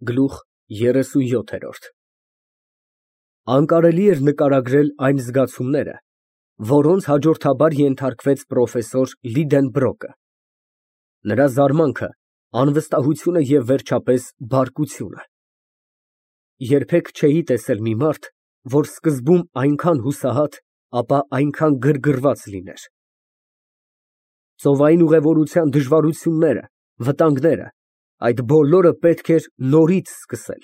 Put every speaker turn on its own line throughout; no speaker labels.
Գլուխ 37 Անկարելի էր նկարագրել այն զգացումները, որոնց հաջորդաբար ենթարկվեց պրոֆեսոր Լիդենբրոկը, նրա զարմանքը, անվստահությունը և վերջապես բարկությունը։ Երբեք չէի տեսել մի մարդ, որ սկզբում այնքան հուսահատ, ապա այնքան գրգռված լիներ։ Ծովային ուղևորության դժվարությունները, վտանգները, այդ բոլորը պետք էր նորից սկսել։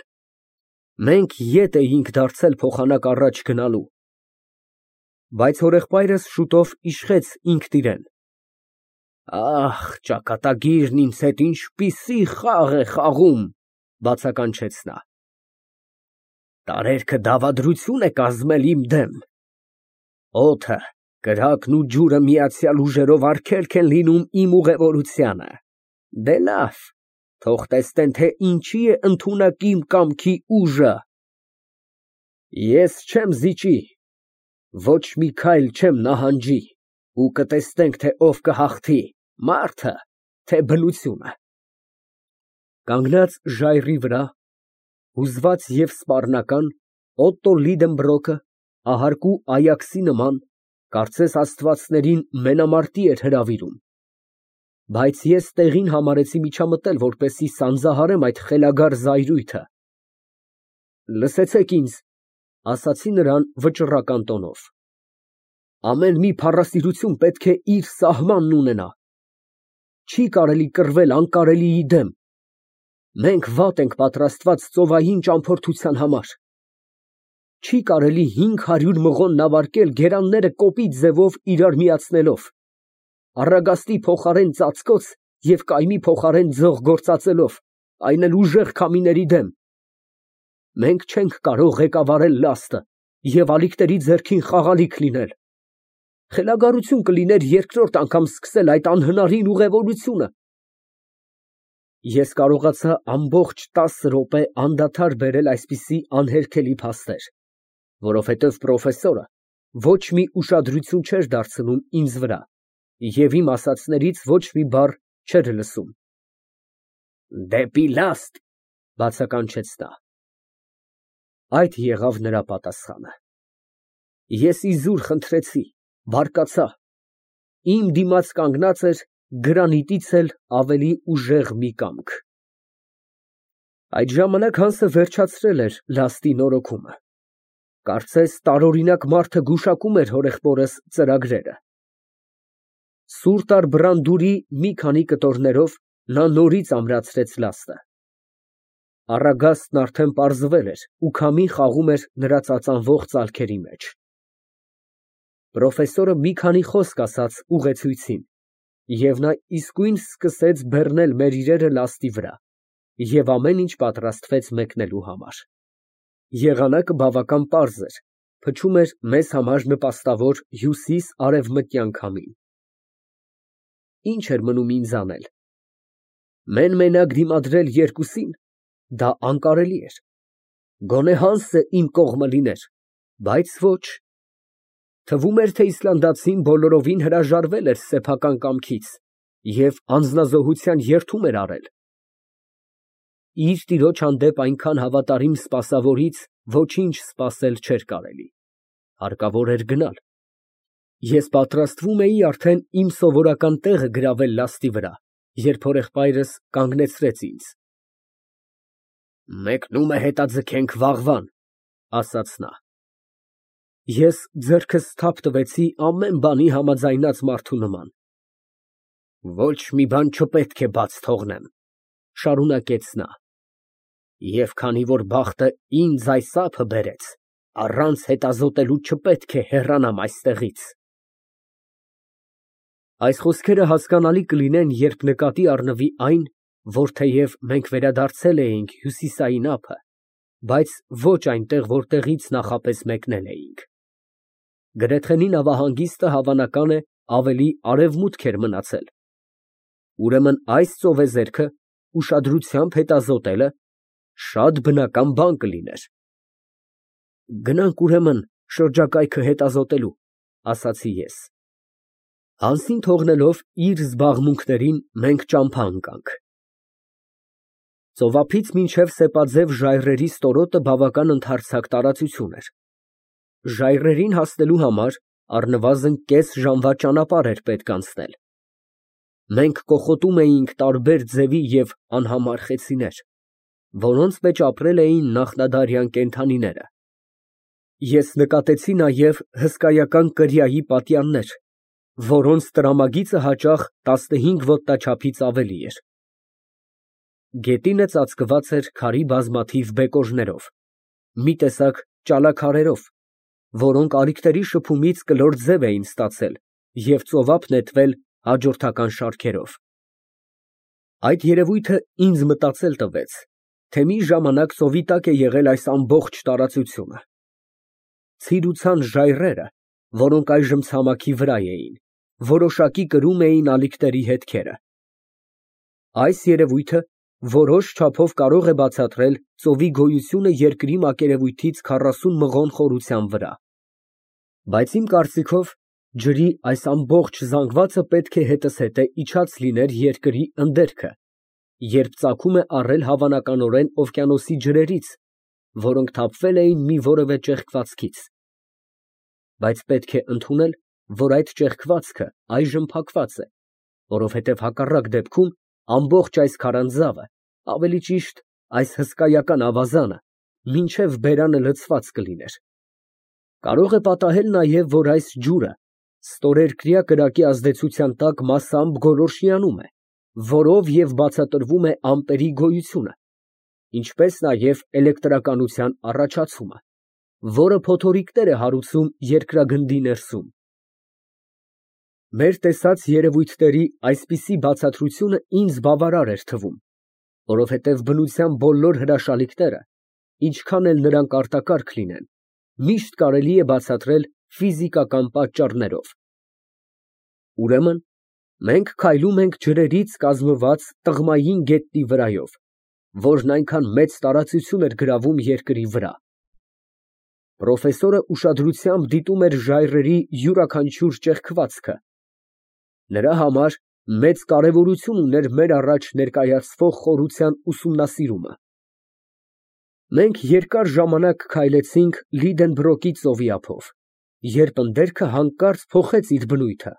Մենք ետ էինք դարձել փոխանակ առաջ գնալու։ Բայց հորեղբայրս շուտով իշխեց ինքն իրեն. «Ախ, ճակատագիրն ինձ հետ ինչպիսի խաղ է խաղում», բացականչեց նա։ «Տարերքը դավադրություն է կազմել իմ դեմ։ Օդը, կրակն ու ջուրը միացյալ ուժերով արգելք են լինում իմ ուղևորությանը։ Դե լավ, թող տեսնեն, թե ինչի է ընդունակ իմ կամքի ուժը։ Ես չեմ զիջի, ոչ մի քայլ չեմ նահանջի, ու կտեսնենք, թե ով կհաղթի, մարդը, թե բնությունը»։ Կանգնած ժայռի վրա, հուզված և սպառնական, Օտտո Լիդենբրոկը, ահարկու Այաքսի նման, կարծես աստվածներին մենամարտի էր հրավիրում։ Բայց ես տեղին համարեցի միջամտել, որպեսզի սանձահարեմ այդ խելագար զայրույթը։ «Լսեցեք ինձ», ֊ ասացի նրան վճռական տոնով, «ամեն մի փառասիրություն պետք է իր սահմանն ունենա։ Չի կարելի կռվել անկարելիի դեմ։ Մենք վատ ենք պատրաստված ծովային ճամփորդության համար։ Չի կարելի 500 մղոն նավարկել գերանները կոպիտ ձևով իրար միացնելով, առագաստի փոխարեն ծածկոց և կայմի փոխարեն ձող գործածելով, այն էլ ուժեղ քամիների դեմ։ Մենք չենք կարող ղեկավարել լաստը և ալիքների ձեռքին խաղալիք լինել։ Խելագարություն կլիներ երկրորդ անգամ սկսել այդ անհնարին ուղևորությունը»։ Ես կարողացա ամբողջ 10 րոպե անդադար բերել այսպիսի անհերքելի փաստեր, որովհետև պրոֆեսորը ոչ մի ուշադրություն չէր դարձնում ինձ վրա և իմ ասածներից ոչ մի բառ չէր լսում։ «Դեպի լաստ», ֊ բացականչեց նա։ Այդ եղավ նրա պատասխանը։ Ես իզուր խնդրեցի, բարկացա։ Իմ դիմաց կանգնած էր գրանիտից էլ ավելի ուժեղ մի կամք։ Այդ ժամանակ Հանսը վերջացրել էր լաստի նորոգումը։ Կարծես տարօրինակ մարդը գուշակում էր հորեղբորս ծրագրերը։ Սուր տար բռանդուրի մի քանի կտորներով նա նորից ամրացրեց լաստը։ Առագաստն արդեն պարզվել էր ու քամին խաղում էր նրա ծածանվող ծալքերի մեջ։ Պրոֆեսորը մի քանի խոսք ասաց ուղեցույցին, և նա իսկույն սկսեց բեռնել մեր իրերը լաստի վրա, և ամեն ինչ պատրաստվեց մեկնելու համար։ Եղանակը բավական պարզ էր, փչում էր մեզ համար նպաստավոր հյուսիս֊արևմտյան քամին։ Ինչ էր մնում ինձ անել։ Մեն֊մենակ դիմադրել երկուսին, դա անկարելի էր։ Գոնե Հանսը իմ կողմը լիներ, բայց ոչ։ Թվում էր, թե իսլանդացին բոլորովին հրաժարվել էր սեփական կամքից և անձնազոհության երդում էր արել։ Իր տիրոջ հանդեպ այնքան հավատարիմ սպասավորից ոչինչ սպասել չէր կարելի, հարկավոր էր գնալ։ Ես պատրաստվում էի արդեն իմ սովորական տեղը գրավել լաստի վրա, երբ հորեղբայրս կանգնեցրեց ինձ։ «Մեկնումը հետաձգենք վաղվան», ֊ ասաց նա։ Ես ձեռքս թափ տվեցի ամեն բանի համաձայնած մարդու նման։ «Ոչ մի բան չպետք է բաց թողնեմ», ֊ շարունակեց նա, «և քանի որ բախտը ինձ այս ափը բերեց, առանց հետազոտելու չպետք է հեռանամ այստեղից»։ Այս խոսքերը հասկանալի կլինեն, երբ նկատի առնվի այն, որ թեև մենք վերադարձել էինք հյուսիսային ափը, բայց ոչ այնտեղ, որտեղից նախապես մեկնել էինք։ Գրեթենի նավահանգիստը, հավանական է, ավելի արևմուտք էր մնացել։ Ուրեմն այս ծովեզերքը ուշադրությամբ հետազոտելը շատ բնական բան կլիներ։ «Գնանք, ուրեմն, շրջակայքը հետազոտելու», ֊ ասացի ես։ Հանսին թողնելով իր զբաղմունքներին մենք ճամփա ընկանք։ Ծովափից մինչև սեպաձև ժայռերի ստորոտը բավական ընդարձակ տարածություն էր։ Ժայռերին հասնելու համար առնվազն կես ժամվա ճանապարհ էր պետք անցնել։ Մենք կոխոտում էինք տարբեր ձևի և անհամար խեցիներ, որոնց մեջ ապրել էին նախնադարյան կենդանիները։ Ես նկատեցի նաև հսկայական կրիայի պատյաններ, որոնց տրամագիծը հաճախ 15 ոտնաչափից ավելի էր։ Գետինը ծածկված էր քարի բազմաթիվ բեկորներով, մի տեսակ ճալաքարերով, որոնք ալիքների շփումից կլոր ձև էին ստացել և ծովափ նետվել հաջորդական շարքերով։ Այդ երևույթը ինձ մտածել տվեց, թե մի ժամանակ ծովի տակ է եղել այս ամբողջ տարածությունը։ Ցիրուցան ժայռերը, որոնք այժմ ցամաքի վրա էին, որոշակի կրում էին ալիքների հետքերը։ Այս երևույթը որոշ չափով կարող է բացատրել ծովի գոյությունը երկրի մակերևույթից 40 մղոն խորության վրա։ Բայց իմ կարծիքով ջրի այս ամբողջ զանգվածը պետք է հետզհետե իջած լիներ երկրի ընդերքը, երբ ծագում է առել հավանականորեն օվկիանոսի ջրերից, որոնք թափվել էին մի որևէ ճեղքվածքից։ Բայց պետք է ընդունել, որ այդ ճեղքվածքը այժմ փակված է, որովհետև հակառակ դեպքում ամբողջ այս քարանձավը, ավելի ճիշտ, այս հսկայական ավազանը, մինչև բերանը լցված կլիներ։ Կարող է պատահել նաև, որ այս ջուրը ստորերկրյա կրակի ազդեցության տակ մասամբ գոլորշիանում է, որով և բացատրվում է ամպերի գոյությունը, ինչպես նաև էլեկտրականության առաջացումը, որը փոթորիկներ է հարուցում երկրագնդի ներսում։ Մեր տեսած երևույթների այսպիսի բացատրությունը ինձ բավարար էր թվում, որովհետև բնության բոլոր հրաշալիքները, ինչքան էլ նրանք արտակարգ լինեն, միշտ կարելի է բացատրել ֆիզիկական պատճառներով։ Ուրեմն, մենք քայլում ենք ջրերից կազմված տղմային գետնի վրայով, որն այնքան մեծ տարածություն էր գրավում երկրի վրա։ Պրոֆեսորը ուշադրությամբ դիտում էր ժայռերի յուրաքանչյուր ճեղքվածքը։ Նրա համար մեծ կարևորություն ուներ մեր առաջ ներկայացվող խորության ուսումնասիրումը։ Մենք երկար ժամանակ քայլեցինք Լիդենբրոկի ծովի ափով, երբ ընդերքը հանկարծ փոխեց իր բնույթը։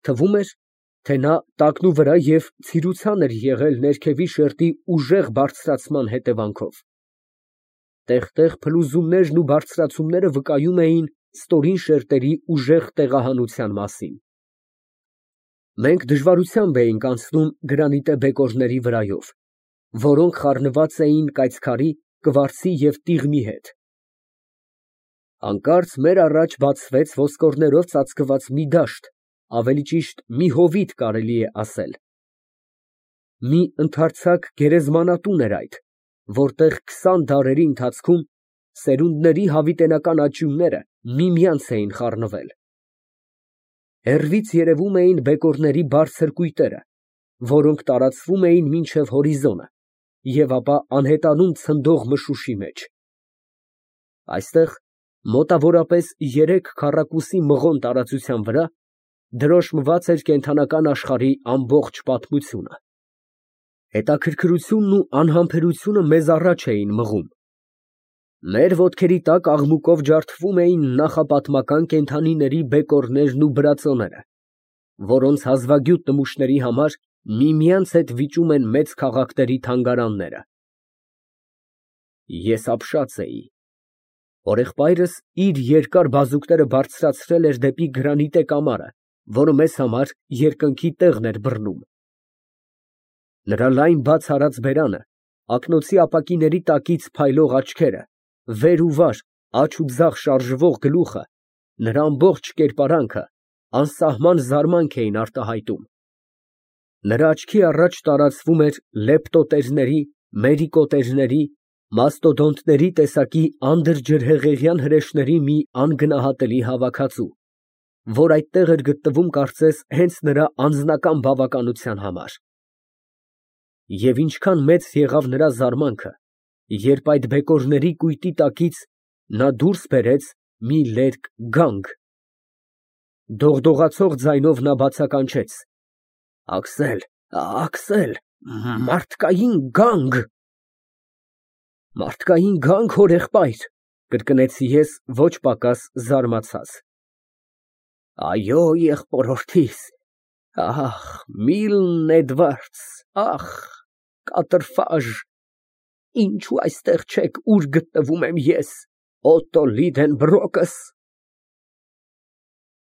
Թվում էր, թե նա տակնուվրա և ցիրուցան էր եղել ներքևի շերտի ուժեղ բարձրացման հետևանքով։ Տեղ֊տեղ փլուզումներն ու բարձրացումները վկայում էին ստորին շերտերի ուժեղ տեղահանության մասին։ Մենք դժվարությամբ էինք անցնում գրանիտե բեկորների վրայով, որոնք խառնված էին կայծքարի, կվարձի և տիղմի հետ։ Հանկարծ մեր առաջ բացվեց ոսկորներով ծածկված մի դաշտ, ավելի ճիշտ մի հովիտ կարելի է ասել։ Մի ընդարձակ գերեզմանատուն էր այդ, որտեղ 20 դարերի ընթացքում սերունդների հավիտենական աճյունները միմյանց էին խառնվել։ Հեռվից երևում էին բեկորների բարձր կույտերը, որոնք տարածվում էին մինչև հորիզոնը և ապա անհետանում ցնդող մշուշի մեջ։ Այստեղ, մոտավորապես 3 քառակուսի մղոն տարածության վրա, դրոշմված էր կենդանական աշխարհի ամբողջ պատմությունը։ Հետաքրքրությունն ու անհամբերությունը մեզ առաջ էին մղում։ Մեր ոտքերի տակ աղմուկով ջարդվում էին նախապատմական կենդանիների բեկորներն ու բրածոները, որոնց հազվագյուտ նմուշների համար միմյանց հետ վիճում են մեծ քաղաքների թանգարանները։ Ես ապշած էի։ Հորեղբայրս իր երկար բազուկները բարձրացրել էր դեպի գրանիտե կամարը, որը մեզ համար երկնքի տեղն էր բռնում։ Նրա լայն բաց արած բերանը, ակնոցի ապակիների տակից փայլող աչքերը, վեր ու վար, աջ ու ձախ շարժվող գլուխը, նրա ամբողջ կերպարանքը անսահման զարմանք էին արտահայտում։ Նրա աչքի առաջ տարածվում էր լեպտոտերների, մերիկոտերների, մաստոդոնտների տեսակի անդրջրհեղեղյան հրեշների մի անգնահատելի հավաքածու, որ այդտեղ էր գտնվում կարծես հենց նրա անձնական բավականության համար։ Եվ ինչքան մեծ եղավ նրա զարմանքը, երբ այդ բեկորների կույտի տակից նա դուրս բերեց մի լերկ գանգ։ Դողդողացող ձայնով նա բացականչեց. «Աքսել, Աքսել, Մարդկային գանգ։ Մարդկային գանք, հորեղբայր, կրկնեցի ես ոչ պակաս զարմացած։ Այո, եղբորորդիս, ախ, Միլն Էդվարդս, ախ, կատրֆաժ, ինչու այստեղ չեք, ուր գտնվում եմ ես, Օտո Լիդենբրոկս։